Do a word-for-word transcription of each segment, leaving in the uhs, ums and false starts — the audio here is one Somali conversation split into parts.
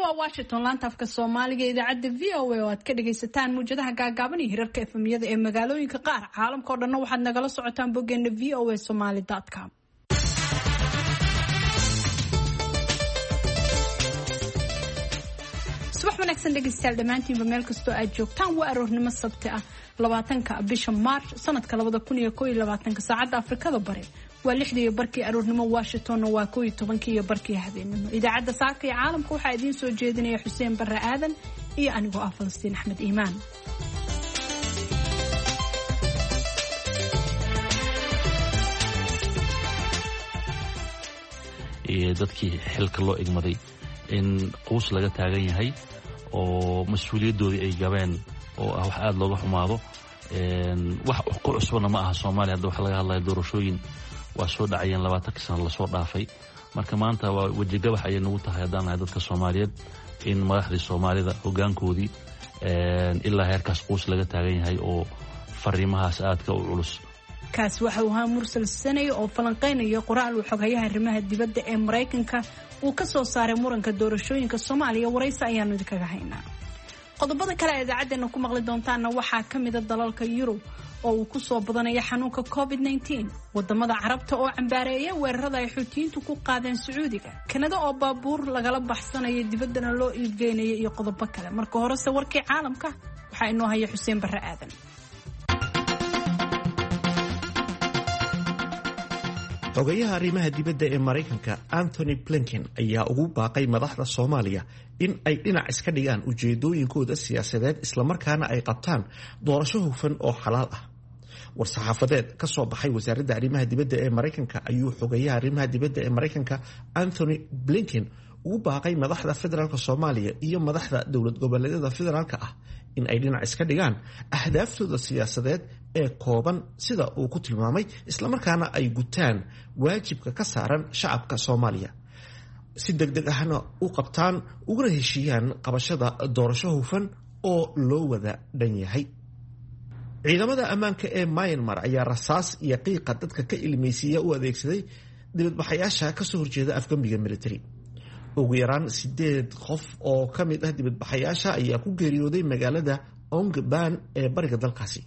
Waa Washington, laanta afka Soomaaliga, idaacadda V O A oo aad ka dhagaysataan muwjadaha gaagaaban iyo hirarka F M-yada ee magaalooyinka qaar. Caalamka oo dhanna waxaad nagala socotaan boggeena V O A Somali com. Subax wanaagsan, dhegaystayaal dhammaantiinba, meel kastoo aad joogtaan. Waa aroornimo Sabti ah, labaatanka bisha Maarch, sanadka labada kun iyo koo iyo labaatanka. Saacadda Afrikada Bari waa lixdii iyo barkii aroornimo, Washingtonna waa koo iyo tobankii iyo barkii habeenimo. Idaacadda saaka iyo caalamka waxaa idiin soo jeedinaya Xuseen Barre Aadan iyo anigoo ah Falastiin Axmed Iimaan. Dadkii xilka loo igmaday in quus laga taagan yahay oo mas-uuliyaddoodii ay gabeen oo ah wax aada looga xumaado. Wax ku cusubna ma aha Soomaaliya. Hadda waxa laga hadlaya doorashooyin waa soo dhacayeen labaatankii sano lasoo dhaafay. Marka maanta waa wejigabax ayay nagu tahay haddaan nahay dadka Soomaaliyeed in madaxdii Soomaalida hoggaankoodii ilaa heerkaas quus laga taagan yahay oo fariimahaas aadka u culus. Kaasi waxa uu ahaa Mursal Sanay oo falanqeynaya qoraal uu xoghayaha arrimaha dibadda ee Maraykanka uu ka soo saaray muranka doorashooyinka Soomaaliya. Waraysi ayaanu idinkaga haynaa. Qodobada kale ee idaacaddeenna ku maqli doontaanna waxaa ka mida dalalka Yurub oo uu ku soo badanaya xanuunka COVID nineteen, wadamada Carabta oo cambaareeya weerarada ay Xuutiyiintu ku qaadeen Sacuudiga, Kanada oo baabuur lagala baxsanaya dibaddana loo iibgeynaya, iyo qodobo kale. Marka horese warkii caalamka waxaa inoo haya Xuseen Barre Aadan. Xogayaha arrimaha dibadda ee Maraykanka Anthony Blinken ayaa ugu baaqay madaxda Soomaaliya in ay dhinac iska dhigaan ujeedooyinkooda siyaasadeed, islamarkaana ay qabtaan doorasho hufan oo xalaal ah. War-saxaafadeed ka soo baxay wasaaradda arrimaha dibadda ee Maraykanka ayuu xogayaha arrimaha dibadda ee Maraykanka Anthony Blinken ugu baaqay madaxda federaalka Soomaaliya iyo madaxda dowlad goboleedyada federaalka ah in ay dhinac iska dhigaan ahdaaftoda siyaasadeed ee kooban, sida uu ku tilmaamay, islamarkaana ay gutaan waajibka ka saaran shacabka Soomaaliya, si deg deg ahna u qabtaan uguna heshiiyaan qabashada doorasho hufan oo loo wada dhan yahay. Ciidamada ammaanka ee Myanmar ayaa rasaas iyo qiiqa dadka ka ilmeysiiya u adeegsaday dibadbaxayaasha kasoo horjeeda afgambiga military. Ugu yaraan sideed qof oo ka mid ah dibadbaxayaasha ayaa ku geeriyooday magaalada Ongban ee bariga dalkaasi.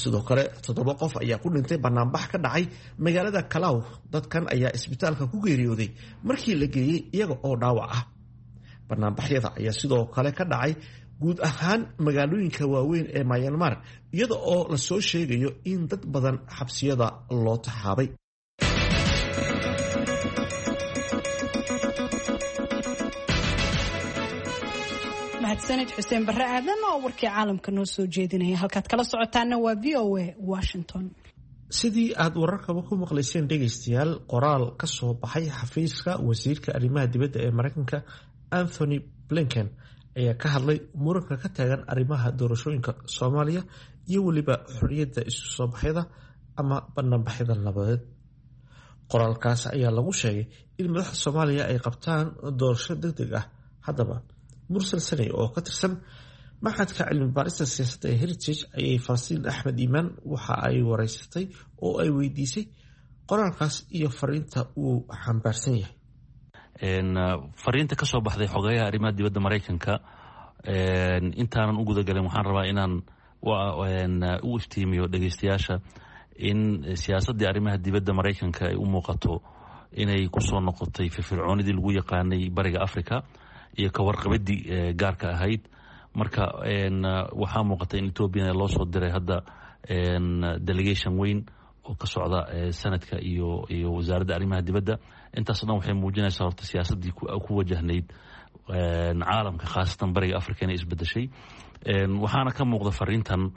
Sidoo kale toddoba qof ayaa ku dhintay banaanbax ka dhacay magaalada Kalaw. Dadkan ayaa isbitaalka ku geeriyooday markii la geeyey iyaga oo dhaawac ah. Banaanbaxyada ayaa sidoo kale ka dhacay guud ahaan magaalooyinka waaweyn ee Myanmar, iyada oo lasoo sheegayo in dad badan xabsiyada loo taxaabay. Mahadsanid, Xuseen Barre Aadan oo warkii caalamka noo soo jeedinaya. Halkaad kala socotaana waa V O A Washington. Sidii aada wararkaba ku maqlayseen, dhegaystayaal, qoraal ka soo baxay xafiiska wasiirka arrimaha dibadda ee Maraykanka Anthony Blinken ayaa ka hadlay muranka ka taagan arrimaha doorashooyinka Soomaaliya iyo weliba xorriyadda isu soo baxyada ama banaanbaxyada nabadeed. Qoraalkaas ayaa lagu sheegay in madaxda Soomaaliya ay qabtaan doorasho deg deg ah. Haddaba, Mursal Saney oo ka tirsan maxadka cilmi baarista siyaasadda ee Heritage ayay Falastiin Axmed Iimaan waxa ay wareysatay oo ay weydiisay qoraalkaas iyo fariinta uu xambaarsan yahay. Fariinta ka soo baxday xogayaha arrimaha dibadda Maraykanka, intaanan u gudagalin, waxaan rabaa inaan u iftiimiyo dhegeystayaasha in siyaasaddii arrimaha dibadda Maraykanka ay u muuqato inay kusoo noqotay firfircoonidii lagu yaqaanay bariga Africa iyo ka warqabadii gaarka ahayd. Marka waxaa muuqata in Ethoobiana loo soo diray hadda delegation weyn oo ka socda sanadka iyo iyo wasaaradda arrimaha dibadda. Intaas o dhan waxay muujinaysaa horta siyaasaddii ku wajahnayd caalamka, khaasatan bariga Africa, inay isbedeshay. Waxaana ka muuqda fariintan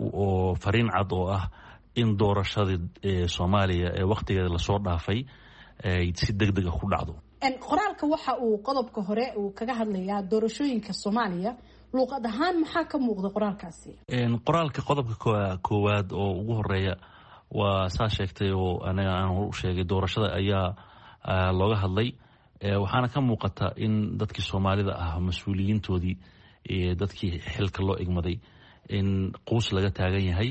oo fariin cad oo ah in doorashadii Soomaaliya ee wakhtigeeda lasoo dhaafay ay si deg deg ah ku dhacdo. Qoraalka waxa uu qodobka hore uu kaga hadlayaa doorashooyinka Soomaaliya. Luuqad ahaan maxaa ka muuqda qoraalkaasi? Qoraalka qodobka koowaad oo ugu horeeya waa saa sheegtay oo aniga aan hor u sheegay, doorashada ayaa looga hadlay. Waxaana ka muuqata in dadkii Soomaalida ah, mas-uuliyiintoodii, dadkii xilka loo igmaday, in quus laga taagan yahay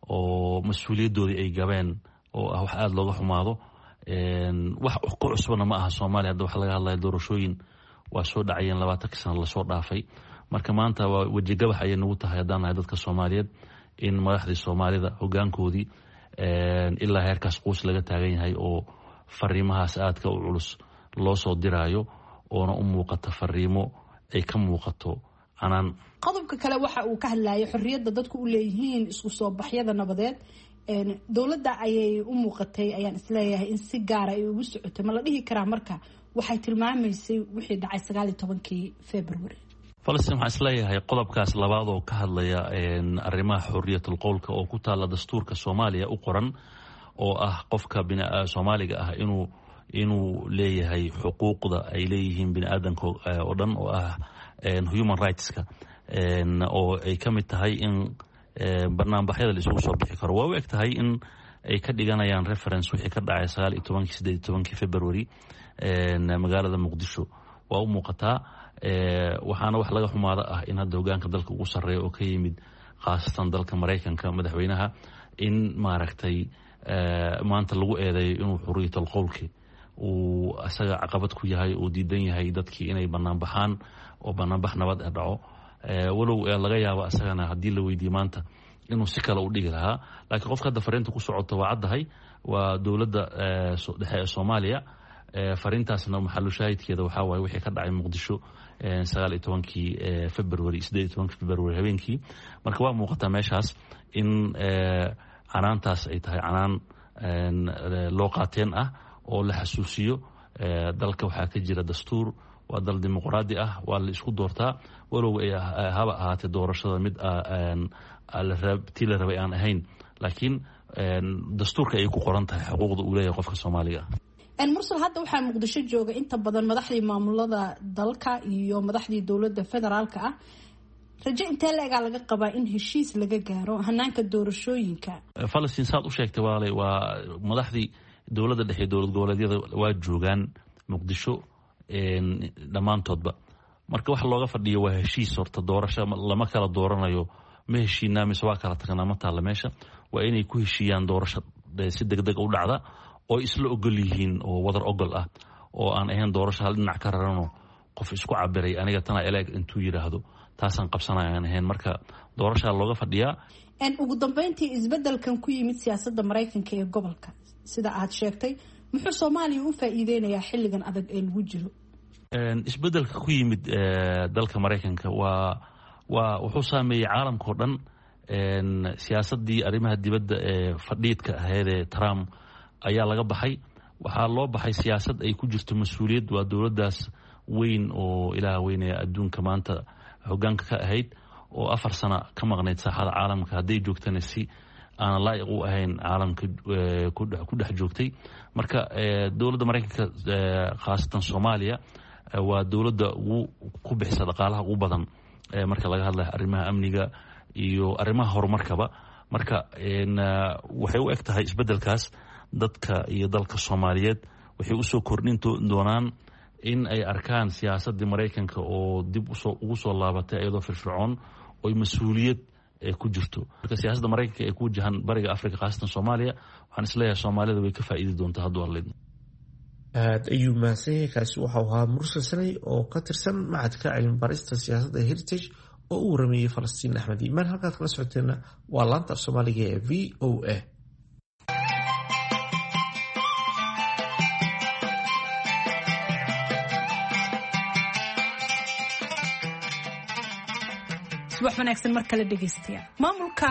oo mas-uuliyaddoodii ay gabeen oo ah wax aada looga xumaado. Wax ku cusubna ma aha Soomaaliya. Hadda waxa laga hadlaya doorashooyin Waa soo dhacayeen labaatankii sano lasoo dhaafay. Marka maanta waa wejigabax ayay nagu tahay haddaan nahay dadka Soomaaliyeed in madaxdii Soomaalida hogaankoodii ilaa heerkaas quus laga taagan yahay oo fariimahaas aadka u culus loo soo diraayo, oona u muuqata fariimo ay ka muuqato canaan. Qodobka kale waxa uu ka hadlayay xorriyadda dadku u leeyihiin isku soo baxyada nabadeed. Dowladda ayay u muuqatay, ayaan isleeyahay, in si gaara ay ugu socotay. Ma la dhihi karaa marka waxay tilmaamaysay wixii dhacay sagaal iyo tobankii February? Falastiin, waxaan isleeyahay qodobkaas labaad oo ka hadlaya arrimaha xorriyatul qowlka oo ku taalla dastuurka Soomaaliya u qoran, oo ah qofka Soomaaliga ah inuu inuu leeyahay xuquuqda ay leeyihiin bini aadanka oo dhan, oo ah human rightska, oo ay ka mid tahay in banaanbaxyada la isugu soo bixi karo, waa u eg tahay in ay ka dhiganayaan reference wixii ka dhacay sagaal iyo tobankii sideed iyo tobankii February magaalada Muqdisho. Waa u muuqataa, waxaana wax laga xumaado ah in hadda hogaanka dalka ugu sarreeya oo ka yimid khaasatan dalka Maraykanka, madaxweynaha, in maaragtay maanta lagu eedeeyo inuu xuriyatul qowlki uu isaga caqabad ku yahay oo diidan yahay dadkii inay banaanbaxaan oo banaanbax nabad eh dhaco, walow laga yaabo isagana haddii la weydiiye maanta inuu si kale u dhigi lahaa. Laakiin qofka hadda fariinta ku socoto waa caddahay, waa dowladda dhexe ee Soomaaliya. Fariintaasna maxalu shaahidkeeda waxaa waaye wixii ka dhacay Muqdisho sagaal iyo tobankii February, sideed iyo tobankii February habeenkii. Marka waa muuqataa meeshaas in canaantaas ay tahay canaan loo qaateen ah oo la xasuusiyo dalka waxaa ka jira dastuur, waa dal dimuqraadi ah, waa la isku doortaa, walow ay haba ahaatee doorashada mid tii la rabay aan ahayn, laakiin dastuurka ay ku qoran tahay xuquuqda uu leeyahay qofka Soomaaliga ah. Mursal, hadda waxaa Muqdisho jooga inta badan madaxdii maamulada dalka iyo madaxdii dowladda federaalka ah. Rajo intee la-egaa laga qabaa in heshiis laga gaaro hanaanka doorashooyinka? Falastiin, saad u sheegtay waalay, waa madaxdii dowladda dhexe, dowlad goboleedyada waa joogaan Muqdisho dhammaantoodba. Marka waxa looga fadhiyo waa heshiis. Horta doorasho lama kala dooranayo, ma heshiinaa mise waa kala tagnaa ma taalla meesha. Waa inay ku heshiiyaan doorasho si deg deg u dhacda oo isla ogol yihiin oo wadar ogol ah, oo aan ahayn doorasho hal dhinac ka rarano, qof isku cabiray aniga tana eleeg intuu yidhaahdo taasaan qabsanaya aan ahayn. Marka doorashaa looga fadhiyaa. Ugu dambeyntii, isbedelkan ku yimid siyaasadda Maraykanka ee gobolka, sida aad sheegtay, muxuu Soomaaliya u faa-iideynayaa xilligan adag ee lagu jiro? Isbedelka ku yimid dalka Maraykanka waa waa wuxuu saameeyey caalamka oo dhan. Siyaasaddii arrimaha dibadda ee fadhiidka ahayd ee Trump ayaa laga baxay, waxaa loo baxay siyaasad ay ku jirto mas-uuliyad. Waa dowladdaas weyn oo ilaah weynaya adduunka maanta hogaanka ka ahayd oo afar sano ka maqnayd saaxada caalamka, hadday joogtana si aanan laa'iq u ahayn caalamka ku dhex joogtay. Marka dowladda Maraykanka, khaasatan Soomaaliya, waa dowladda ugu ku bixisa dhaqaalaha ugu badan marka laga hadlayo arrimaha amniga iyo arrimaha horumarkaba. Marka waxay u eg tahay isbeddelkaas dadka iyo dalka Soomaaliyeed waxay usoo kordhin doonaan in ay arkaan siyaasaddii Maraykanka oo dib usoo ugu soo laabatay iyadoo firfircoon oy mas-uuliyad ku jirto. Marka siyaasadda Maraykanka ee ku wajahan bariga Africa, khaasatan Soomaaliya, waxaan isleeyahay Soomaalida way ka faa'iidi doontaa hadduu Alla. Aada ayuu mahadsan yahay. Kaasi waxau ahaa Mursal Sanay oo ka tirsan macadka cilmi barista siyaasadda Heritage oo u warameeyey Falastiin Axmed Iimaan. Halkaad kala socoteenna waa laanta af Soomaaliga ee V O A. Subax wanaagsan mar kale, dhegeystayaal. Maamulka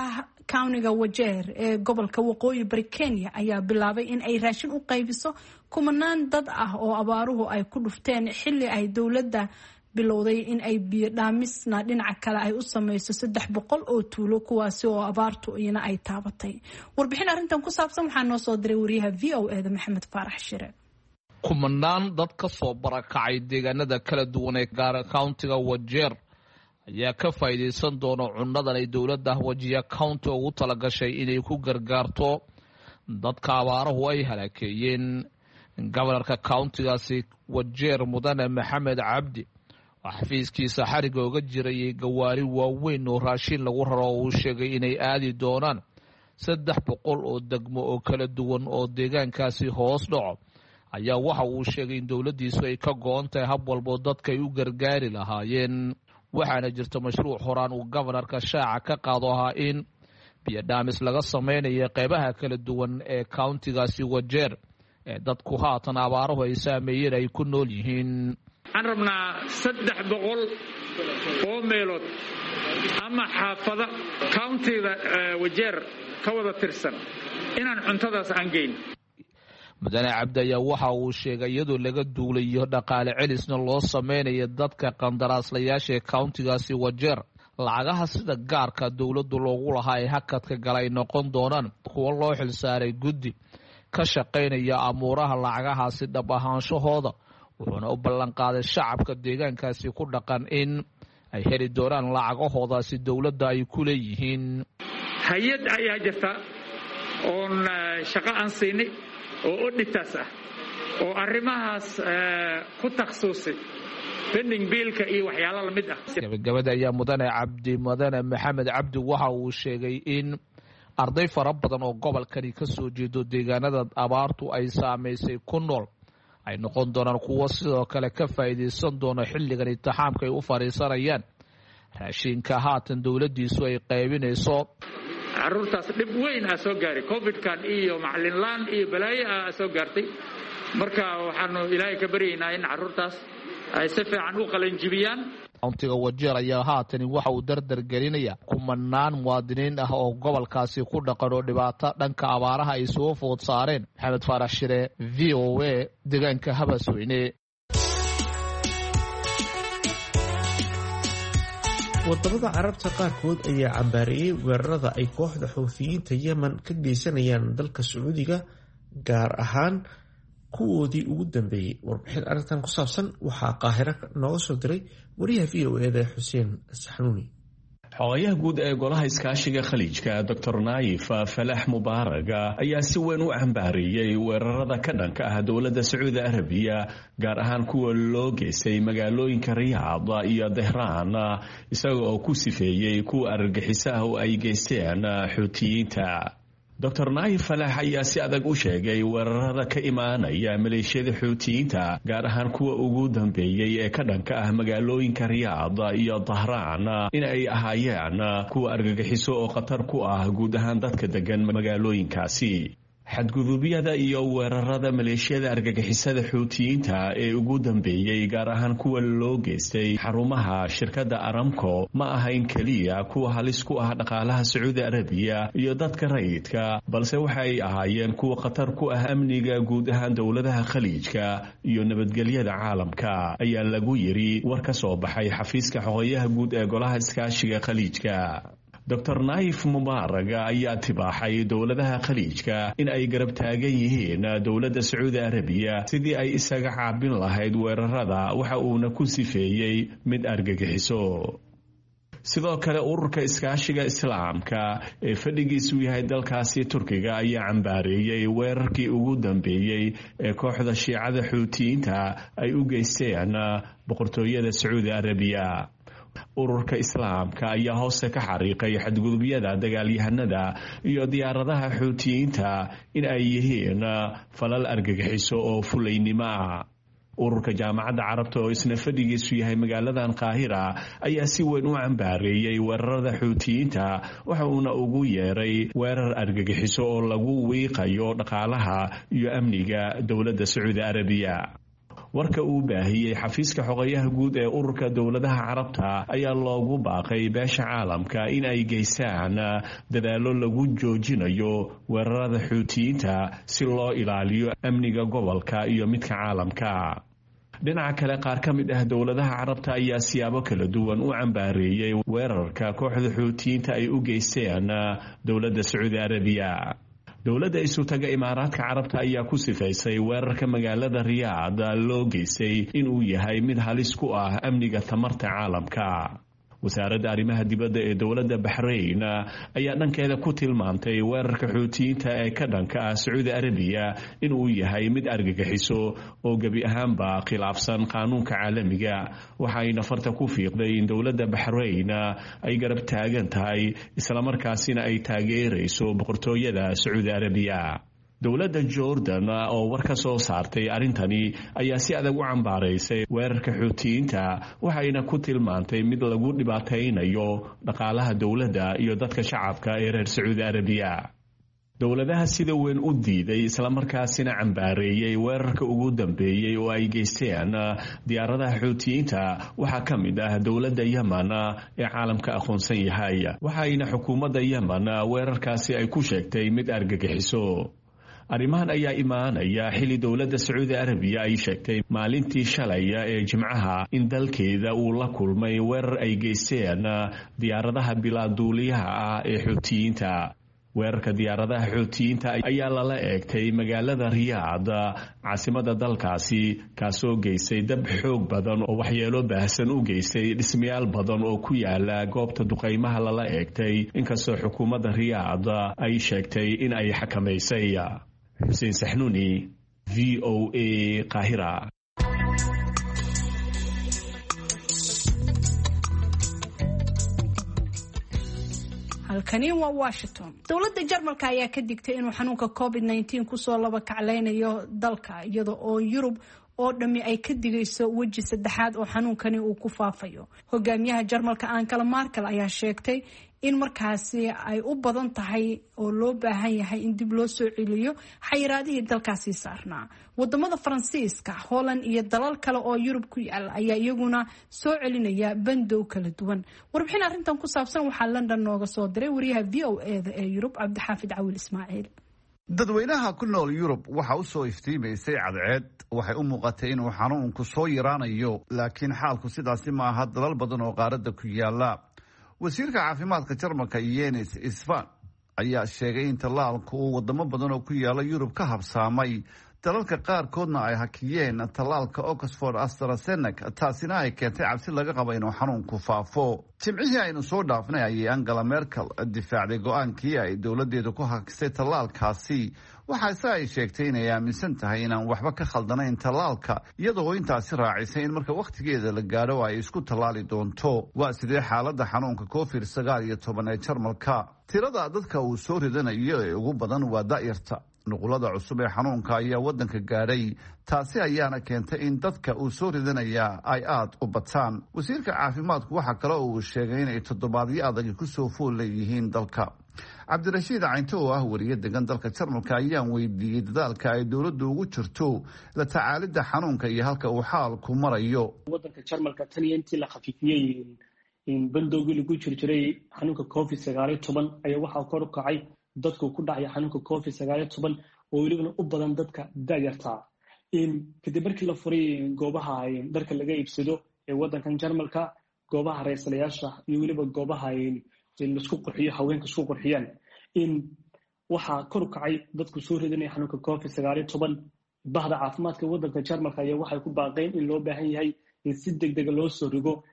countiga Wajeer ee gobolka Waqooyi Bari Kenya ayaa bilaabay in ay raashin u qaybiso kumanaan dad ah oo abaaruhu ay ku dhufteen, xilli ay dowladda bilowday in ay biyo dhaamisna dhinaca kale ay u sameyso saddex boqol oo tuulo, kuwaasi oo abaartu iyana ay taabatay. Warbixin arrintan ku saabsan waxaa noo soo diray wariyaha V O E da Maxamed Faarax Shire. Kumanaan dad ka soo barakacay deegaanada kala duwan ee gaara countiga Wajeer ayaa ka faa'iidaysan doona cunnadan ay dowladda Wajiya County ugu talagashay inay ku gargaarto dadka abaaruhu ay halaakeeyeen. Gobanarka countigaasi Wajeer, Mudane Maxamed Cabdi, oo xafiiskiisa xariga oga jirayay gawaari waaweyn oo raashin lagu raro oo uu sheegay inay aadi doonaan saddex boqol oo degmo oo kala duwan oo deegaankaasi hoos dhaco, Ayaa waxa uu sheegay in dowladdiisu ay ka go-on tahay hab walboo dadka ay u gargaari lahaayeen, waxaana jirta mashruuc horaan uu gobanarka shaaca ka qaado ahaa in biyodhaamis laga samaynayo qeybaha kala duwan ee countigaasi Wajeer ee dadku haatan abaaruhu ay saameeyeen ay ku nool yihiin. Waxaan rabnaa saddex boqol oo meelood ama xaafada countiga Wajeer ka wada tirsan inaan cuntadaas aan geyn. Mudane Cabdi ayaa waxa uu sheegay iyadoo laga duulayo dhaqaale celisna loo sameynayo dadka qandaraaslayaasha ee countigaasi Wajeer, lacagaha sida gaarka dowladdu loogu lahaa ee hakadka gala ay noqon doonaan kuwo loo xilsaaray guddi ka shaqaynaya amuuraha lacagahaasi dhab ahaanshahooda, wuxuuna u ballanqaaday shacabka deegaankaasi ku dhaqan in ay heli doonaan lacagahoodaasi dowladda ay ku leeyihiin. Hay-ad ayaa jirta oon shaqo aan siinay oo odhitaas ah oo arrimahaas ku takhasusay bending biilka iyo waxyaalo lamid ah. Gabagabada ayaa mudane Cabdi, mudane Maxamed Cabdi, waxa uu sheegay in arday fara badan oo gobolkani ka soo jeedo deegaanada abaartu ay saamaysay ku nool ay noqon doonaan kuwo sidoo kale ka faa'iidaysan doono xilligan imtixaamka ay u fadhiisanayaan raashinka haatan dowladdiisu ay qaybinayso. Carruurtaas dhib weyn aa soo gaaray covidkan iyo macalinlaan iyo balaayo ah soo gaartay. Marka waxaanu Ilaahay ka baryaynaa in carruurtaas ay si fiican u qalanjibiyaan. Countiga Wajeer ayaa haatani waxa uu dardar gelinaya kumanaan muwaadiniin ah oo gobolkaasi ku dhaqan oo dhibaato dhanka abaaraha ay soo food saareen. Maxamed Faarax Shire, V O A, deegaanka Habasweyne. Wadamada Carabta qaarkood ayaa cambaareeyey weerarada ay kooxda Xuuthiyiinta Yemen ka geysanayaan dalka Sacuudiga, gaar ahaan kuwoodii ugu dambeeyey. Warbixin arrintan ku saabsan waxaa Qaahiro nooga soo diray wariyaha V O E-da Xuseen Saxnuuni. Xogayaha guud ee Golaha Iskaashiga Khaliijka, Doctor Naayif Falax Mubaarag, ayaa si weyn u cambaareeyey weerarada ka dhanka ah dowladda Sacuudi Arabiya, gaar ahaan kuwa loo geystay magaalooyinka Riyaad iyo Dahraan, isaga oo ku sifeeyey kuwa argagixiso ah oo ay geysteen Xuutiyiinta. Doctor Naayif Falax ayaa si adag u sheegay weerarada ka imaanaya maleeshiyada Xuutiyiinta, gaar ahaan kuwa ugu dambeeyey ee ka dhanka ah magaalooyinka Riyaad iyo Dahraan, in ay ahaayeen kuwa argagixiso oo khatar ku ah guud ahaan dadka degan magaalooyinkaasi. Xadgudubyada iyo weerarada maleeshiyada argagixisada Xuutiyiinta ee ugu dambeeyey, gaar ahaan kuwa loo geystay xarumaha shirkadda Aramco, ma ahayn keliya kuwa halis ku ah dhaqaalaha Sacuudi Arabiya iyo dadka rayidka, balse waxay ahaayeen kuwa khatar ku ah amniga guud ahaan dowladaha Khaliijka iyo nabadgelyada caalamka, ayaa lagu yiri war ka soo baxay xafiiska xogayaha guud ee Golaha Iskaashiga Khaliijka. Doctor Naayif Mubaarag ayaa tibaaxay dowladaha Khaliijka in ay garab taagan yihiin dowladda Sacuudi Arabiya sidii ay isaga caabin lahayd weerarada, waxa uuna ku sifeeyey mid argagixiso. Sidoo kale, Ururka Iskaashiga Islaamka ee fadhigiisu yahay dalkaasi Turkiga ayaa cambaareeyey weerarkii ugu dambeeyey ee kooxda Shiicada Xuutiyiinta ay u geysteen boqortooyada Sacuudi Arabiya. Ururka Islaamka ayaa hoose ka xariiqay xadgudubyada dagaalyahanada iyo diyaaradaha Xuutiyiinta in ay yihiin falal argagixiso oo fulaynimo ah. Ururka Jaamacadda Carabta oo isna fadhigiisu yahay magaaladan Qaahira ayaa si weyn u cambaareeyey weerarada Xuutiyiinta, waxa uuna ugu yeeray weerar argagixiso oo lagu wiiqayo dhaqaalaha iyo amniga dowladda Sacuudi Arabiya. Warka uu baahiyey xafiiska xogayaha guud ee Ururka Dowladaha Carabta ayaa loogu baaqay beesha caalamka in ay geystaan dadaallo lagu joojinayo weerarada Xuutiyiinta si loo ilaaliyo amniga gobolka iyo midka caalamka. Dhinaca kale, qaar ka mid ah dowladaha Carabta ayaa siyaabo kala duwan u cambaareeyey weerarka kooxda Xuutiyiinta ay u geysteen dowladda Sacuudi Arabiya. Dowladda Isutaga Imaaraadka Carabta ayaa ku sifaysay weerarka magaalada Riyaad loo geystay inuu yahay mid halis ku ah amniga tamarta caalamka. Wasaaradda arrimaha dibadda ee dowladda Baxrayn ayaa dhankeeda ku tilmaamtay weerarka Xuutiyiinta ee ka dhanka ah Sacuudi Arabiya inuu yahay mid argagixiso oo gebi ahaanba khilaafsan qaanuunka caalamiga, waxayna farta ku fiiqday in dowladda Baxrayn ay garab taagan tahay islamarkaasina ay taageerayso boqortooyada Sacuudi Arabiya. Dowladda Jordan oo war ka soo saartay arrintani ayaa si adag u cambaaraysay weerarka Xuutiyiinta, waxayna ku tilmaantay mid lagu dhibaataynayo dhaqaalaha dowladda iyo dadka shacabka ee reer Sacuudi Arabiya. Dowladaha sida weyn u diiday islamarkaasina cambaareeyey weerarka ugu dambeeyey oo ay geysteen diyaaradaha Xuutiyiinta waxaa ka mid ah dowladda Yemen ee caalamka aqoonsan yahay, waxayna xukuumadda Yemen weerarkaasi ay ku sheegtay mid argagixiso. Arrimahan ayaa imaanaya xilli dowladda Sacuudi Arabiya ay sheegtay maalintii shalay ee Jimcaha in dalkeeda uu la kulmay weerar ay geysteen diyaaradaha bilaaduuliyaha ah ee Xuutiyiinta. Weerarka diyaaradaha Xuutiyiinta ayaa lala eegtay magaalada Riyaad, caasimada dalkaasi, kaasoo geystay dab xoog badan oo waxyeelo baahsan u geystay dhismayaal badan oo ku yaala goobta duqaymaha lala eegtay, inkastoo xukuumadda Riyaad ay sheegtay in ay xakamaysay. Xuseen Saxnuuni, V O A, Qaahira. Halkani waa Washington. Dowladda Jarmalka ayaa ka digtay inuu xanuunka covid nineteen kusoo laba kacleynayo dalka, iyada oo Yurub oo dhammi ay ka digayso weji saddexaad oo xanuunkani uu ku faafayo. Hogaamiyaha Jarmalka Angela Merkel ayaa sheegtay in markaasi ay u badan tahay oo loo baahan yahay in dib loo soo celiyo xayiraadihii dalkaasi saarnaa. Wadamada Faransiiska, Holland iyo dalal kale oo Yurub ku yaal ayaa iyaguna soo celinaya bandow kala duwan. Warbixin arrintan ku saabsan waxaa London nooga soo diray wariyaha V O A da ee Yurub, Cabdixaafid Cawil Ismaaciil. Dadweynaha ku nool Yurub waxa u soo iftiimaysay cadceed. Waxay u muuqatay inuu xanuunku soo yaraanayo, laakiin xaalku sidaasi ma aha dalal badan oo qaaradda ku yaala. Wasiirka caafimaadka Jarmalka Yenis Isfan ayaa sheegay in tallaalku uu wadamo badan oo ku yaala Yurub ka habsaamay, dalalka qaarkoodna ay hakiyeen tallaalka Oxford AstraZeneca, taasina ay keentay cabsi laga qabo inuu xanuunku faafo. Jimcihii aynu soo dhaafnay ayay Angela Merkel difaacday go-aankii ay dowladeedu ku hakisay tallaalkaasi, waxaase ay sheegtay inay aaminsan tahay inaan waxba ka khaldanayn tallaalka, iyadoo intaasi raacisay in marka wakhtigeeda la gaadho ay isku tallaali doonto. Waa sidee xaaladda xanuunka covid sagaal iyo toban ee Jarmalka? Tirada dadka uu soo ridanayo ee ugu badan waa da'yarta. Nuqulada cusub ee xanuunka ayaa waddanka gaadhay, taasi ayaana keentay in dadka uu soo ridanayaa ay aada u bataan. Wasiirka caafimaadku waxaa kale oo uu sheegay inay toddobaadyo adagi kusoo fool leeyihiin dalka. Cabdirashiid Caynto oo ah wariye degan dalka Jarmalka ayaan weydiiyey dadaalka ay dowladdu ugu jirto la tacaalidda xanuunka iyo halka uu xaalku marayo. Wadanka Jarmalka tan iyo intii la khafiifiyey bandowgii lagu jir jiray xanuunka covid sagaaliyo toban ayaa waxaa kor u kacay dadku ku dhacaya xanuunka covid sagaaliyo toban oo welibana u badan dadka da'yartaa. Kadib markii la furay goobaha dharka laga iibsado ee wadankan Jarmalka, goobaha rayslayaasha iyo weliba goobaha laisku qurxiyo, haweenka isku qurxiyaan, waxaa kor u kacay dadku soo ridanaya xanuunka covid sagaaliyo toban. Bahda caafimaadka wadanka Jarmalka ayaa waxay ku baaqeen in loo baahan yahay in si degdega loo soo rigo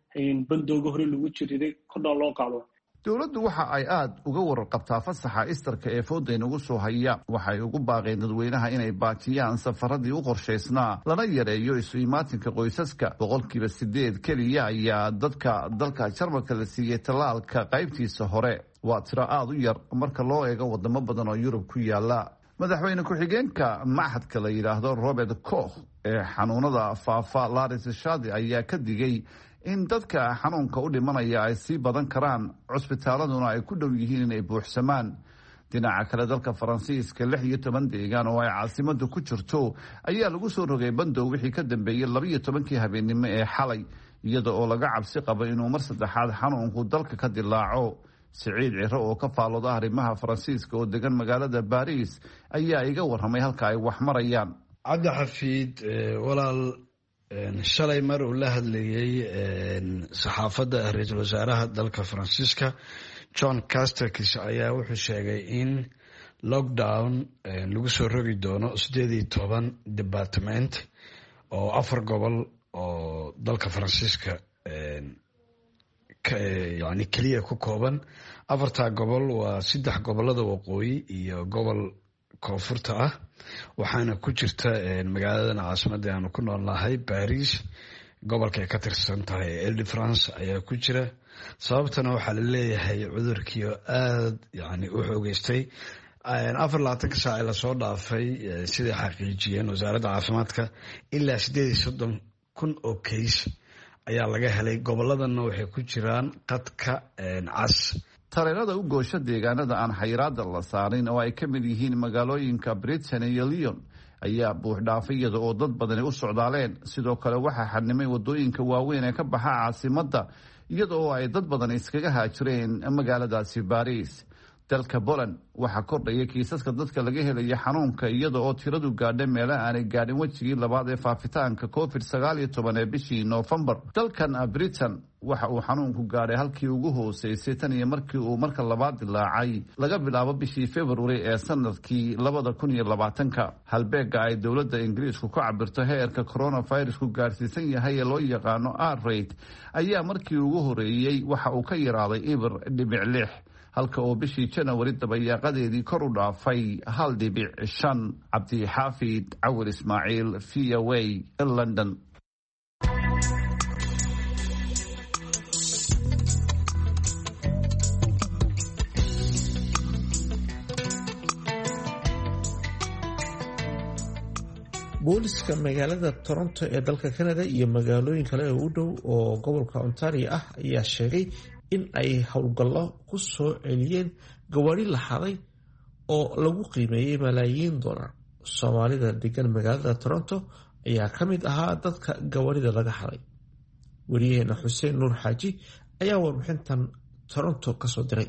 bandowga hore lagu jiriray kordhaa loo qaado. Dowladdu waxa ay aada uga wararqabtaa fasaxa istarka ee fooda inagu soo haya. Waxay ugu baaqeen dadweynaha inay baajiyaan safaradii u qorshaysnaa, lana yareeyo isu imaatinka qoysaska. Boqolkiiba sideed keliya ayaa dadka dalka Jarmalka la siiyey tallaalka qaybtiisa hore. Waa tiro aada u yar marka loo eego wadamo badan oo Yurub ku yaala. Madaxweyne ku-xigeenka machadka la yidhaahdo Robert Koch ee xanuunada faafa, Laris Shadi, ayaa ka digay in dadka xanuunka u dhimanaya ay sii badan karaan, cusbitaaladuna ay ku dhow yihiin inay buuxsamaan. Dhinaca kale, dalka Faransiiska lix iyo toban deegaan oo ay caasimadu ku jirto ayaa lagu soo rogay bandow wixii ka dambeeyey labaiyo tobankii habeennimo ee xalay, iyada oo laga cabsi qabo inuu mar saddexaad xanuunku dalka ka dilaaco. Siciid Ciro oo ka faalooda arrimaha Faransiiska oo degan magaalada Baariis ayaa iga warramay halka ay wax marayaan. Cabdixafiid walaal, shalay mar uu la hadlayey saxaafadda ra-iisul wasaaraha dalka Faransiiska John Casterkis ayaa wuxuu sheegay in lockdown lagu soo rogi doono sideed iyo toban department oo afar gobol oo dalka Faransiiska yani keliya ku kooban. Afartaa gobol waa saddex gobolada waqooyi iyo gobol koonfurta ah, waxaana ku jirta magaaladan caasimadda aanu ku noolnahay Baris, gobolka ay ka tirsan tahay Ile de France ayaa ku jira. Sababtana waxaa la leeyahay cudurkiio aada yani u xoogeystay Afar labaatanka saac ee lasoo dhaafay, siday xaqiijiyeen wasaaradda caafimaadka, ilaa sideed iyo soddon kun oo kays ayaa laga helay. Goboladana waxay ku jiraan qadka cas. Tareerada u goosha deegaanada aan xayiraada la saarin, oo ay ka mid yihiin magaalooyinka Britain iyo Lyon, ayaa buuxdhaafay iyada oo dad badani u socdaaleen. Sidoo kale waxaa xadnimay wadooyinka waaweyn ee ka baxa caasimadda, iyada oo ay dad badan iskaga haajireen magaaladaasi Baris. Dalka Poland waxaa kordhaya kiisaska dadka laga helaya xanuunka, iyada oo tiradu gaadha meelaha aanay gaadhin wejigii labaad ee faafitaanka Covid sagaal iyo toban ee bishii Noofembar. Dalkan Britain waxa uu xanuunku gaadhay halkii ugu hooseysay tan iyo markii uu marka labaad dilaacay, laga bilaabo bishii February ee sanadkii labada kun iyo labaatanka. Halbeega ay dowladda Ingiriisku ku cabirto heerka coronavirusku gaadhsiisan yahay ee loo yaqaano R rate ayaa markii ugu horeeyey waxa uu ka yaraaday eber dhibic lix, halka oo bishii Janawari dabayaaqadeedii kor u dhaafay hal dhibic shan. Cabdixaafid Cawir Ismaaciil, V O A, London. Booliska magaalada Toronto ee dalka Canada iyo magaalooyin kale oo u dhow oo gobolka Ontario ah ayaa sheegay in ay howlgallo ku soo celiyeen gawaari la xaday oo lagu qiimeeyey malaayiin dollar. Soomaalida degan magaalada Toronto ayaa ka mid ahaa dadka gawaarida laga xaday. Wariyaheena Xuseen Nuur Xaaji ayaa warbixintan Toronto kasoo diray.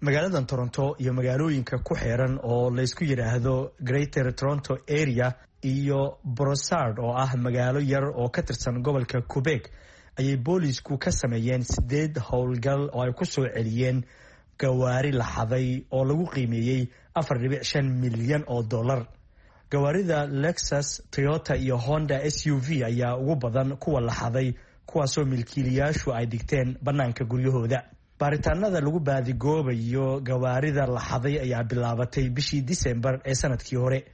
Magaaladan Toronto iyo magaalooyinka ku xeeran oo laysku yidhaahdo Greater Toronto Area iyo Brossard, oo ah magaalo yar oo ka tirsan gobolka Quebec, ayay boolisku ka sameeyeen sideed howlgal oo ay ku soo celiyeen gawaari la xaday oo lagu qiimeeyey afar dhibic shan milyan oo dollar. Gawaarida Lexus, Toyota iyo Honda S U V ayaa ugu badan kuwa la xaday, kuwaasoo milkiilayaashu ay dhigteen bannaanka guryahooda. Baaritaanada lagu baadigoobayo gawaarida la xaday ayaa bilaabatay bishii Disembar ee sanadkii hore.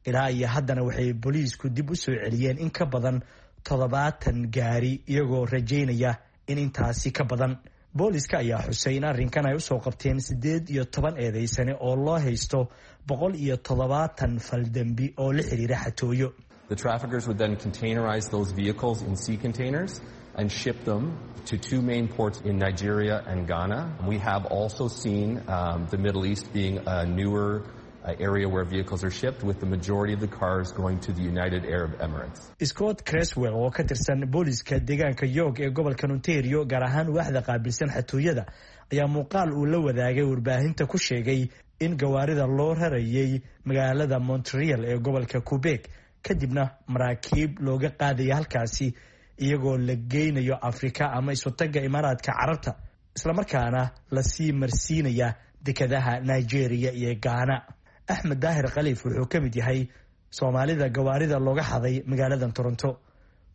Ilaa iyo haddana waxay booliisku dib u soo celiyeen in ka badan toddobaatan gaari, iyagoo rajaynaya in intaasi ka badan. Booliska ayaa xusay in arrinkan ay usoo qabteen siddeed iyo toban eedeysane oo loo haysto boqol iyo toddobaatan faldembi oo la xiriira xatooyo. The traffickers would then containerize those vehicles in sea containers and ship them to two main ports in Nigeria and Ghana. We have also seen um, the Middle East being a newer uh, area where vehicles are shipped, with the majority of the cars going to the United Arab Emirates. Scott Creswell, oo ka tirsan booliska deegaanka York ee gobolka Ontario, gaar ahaan waaxda qaabilsan xatooyada, ayaa muuqaal uu la wadaagay warbaahinta ku sheegay in gawaarida loo rarayay magaalada Montreal ee gobolka Quebec, kadibna maraakiib looga qaadaya halkaasi, iyagoo la geynayo Afrika ama Isutaga Imaaraadka Carabta, islamarkaana lasii marsiinaya dekadaha Nigeria iyo Gaana. Axmed Daahir Khaliif wuxuu ka mid yahay Soomaalida gawaarida looga xaday magaaladan Toronto.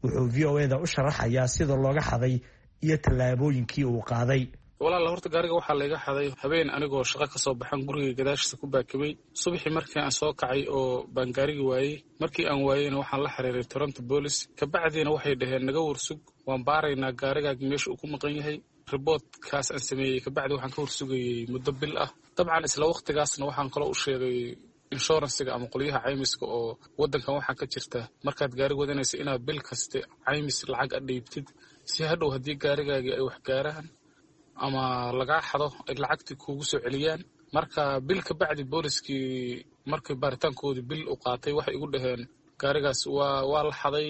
Wuxuu V O A da u sharaxayaa sida looga xaday iyo tallaabooyinkii uu qaaday. Walaala, horta gaariga waxaa layga xaday habeen anigoo shaqo ka soo baxan, guriga gadaashiisa ku baakibay. Subaxii markii aan soo kacay oo baan gaarigi waayey. Markii aan waayeyna waxaan la xiriiray Toronto Police. Kabacdiina waxay dhaheen, "Naga warsug, waan baaraynaa gaarigaagi meesha uu ku maqan yahay." Report-kaas aan sameeyey kabacdi waxaan ka warsugayey muddo bil ah. Dabcan isla waqtigaasna waxaan kaloo u sheegay insurance-iga ama qolyaha caymiska, oo wadankan waxaa ka jirta markaad gaari wadanaysa inaad bil kaste caymis lacag a dhiibtid, si hadhow haddii gaarigaagii ay wax gaaraan ama lagaa xado ay lacagtii kuugu soo celiyaan. Marka bil ka bacdi booliskii markii baaritaankoodii bil u qaatay, waxay igu dhaheen, "Gaarigaas waa waa la xaday,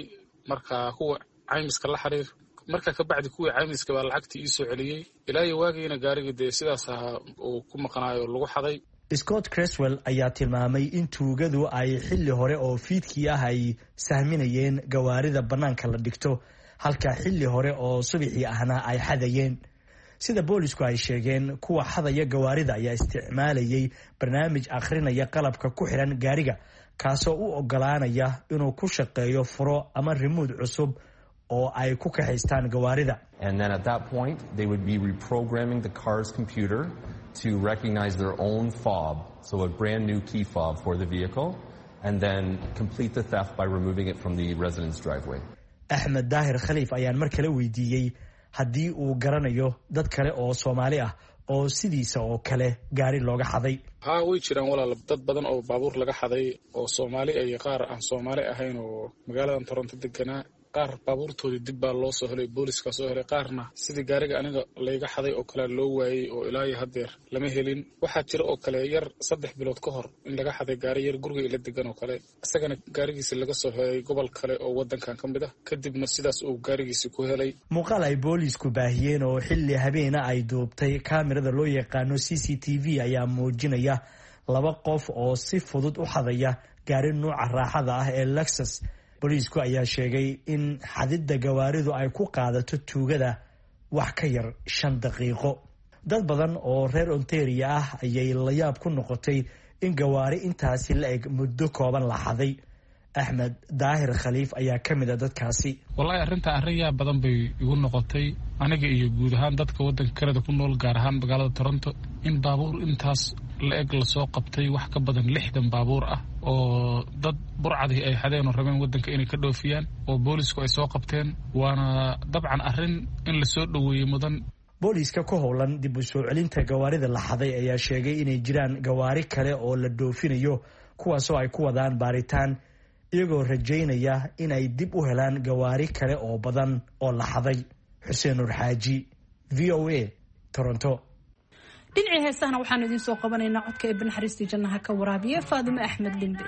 marka kuwa caymiska la xiriir." Marka ka bacdi kuwii caymiska baa lacagtii ii soo celiyey. Ilaa iyo waagiina gaarigii dee sidaas ahaa uu ku maqnaayo lagu xaday. Scott Creswell ayaa tilmaamay in tuugadu ay xilli hore oo fiidkii ah ay sahminayeen gawaarida bannaanka la dhigto, halka xilli hore oo subaxii ahna ay xadayeen. Sida boolisku ay sheegeen, kuwa xadaya gawaarida ayaa isticmaalayay barnaamij akhrinaya qalabka ku xiran gaariga, kaasoo u ogolaanaya inuu ku shaqeeyo furo ama rimuud cusub oo ay ku kaxaystaan gawaarida. And then at that point, they would be reprogramming the car's computer to recognize their own fob, so a brand new key fob for the vehicle, and then complete the theft by removing it from the resident's driveway. Axmed Daahir Khaliif ayaan mar kale weydiiyey haddii uu garanayo dad kale oo Soomaali ah oo sidiisa oo kale gaari looga xaday. Haa, way jiraan walaal, dad badan oo baabuur laga xaday oo Soomaali iyo qaar aan Soomaali ahayn oo magaaladan Toronto deganaa. Qaar baabuurtoodii dib baa loo soo helay, booliiskaa soo helay, qaarna sidii gaariga aniga layga xaday oo kale loo waayey oo ilaa iyo haddeer lama helin. Waxaa jira oo kale yar saddex bilood ka hor in laga xaday gaari yar guriga ila degan oo kale, isagana gaarigiisi laga soo helay gobol kale oo wadankan ka mid ah, kadibna sidaas uu gaarigiisi ku helay. Muuqaal ay booliisku baahiyeen oo xilli habeena ay duubtay kaamirada loo yaqaano C C T V ayaa muujinaya laba qof oo si fudud u xadaya gaari nuuca raaxada ah ee Lexus. Booliisku ayaa sheegay in xadidda gawaaridu ay ku qaadato tuugada wax ka yar shan daqiiqo. Dad badan oo reer Ontario ah ayay layaab ku noqotay in gawaari intaasi la eg muddo kooban la xaday. Axmed Daahir Khaliif ayaa ka mid a dadkaasi. Wallaahi arrintaa arrin yaab badan bay igu noqotay aniga iyo guud ahaan dadka waddanka Kanada ku nool, gaar ahaan magaalada Toronto, in baabuur intaas la eg lasoo qabtay, wax ka badan lixdan baabuur ah oo dad burcadii ay xadeen oo rabeen waddanka inay ka dhoofiyaan oo boolisku ay soo qabteen. Waana dabcan arrin in lasoo dhoweeyey mudan. Booliiska ku howlan dib u soo celinta gawaarida la xaday ayaa sheegay inay jiraan gawaari kale oo la dhoofinayo, kuwaasoo ay ku wadaan baaritaan, iyagoo rajaynaya inay dib u helaan gawaari kale oo badan oo la xaday. Xuseen Nur Xaaji, V O A, Toronto. Dhinacii heesahana waxaanu idiin soo qabanaynaa codka ee banaxariistii jannaha ka waraabiya Faadimo Axmed Limbe.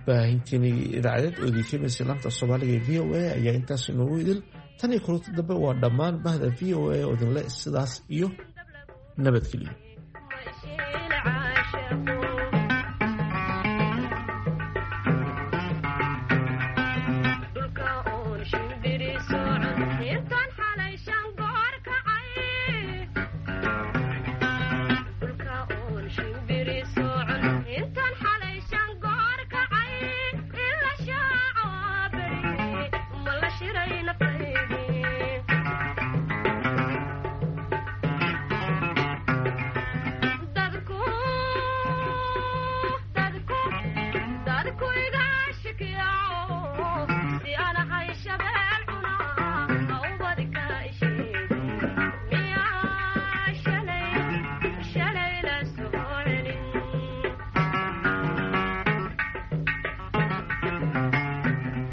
Baahintiinii idaacadeed oo idinkeemaysa laanta Soomaaliga ee V O A ayaa intaas inoogu idil. Tan iyo kulanta dambe waa dhammaan bahda V O A oo idinle sidaas iyo nabadgeliyo.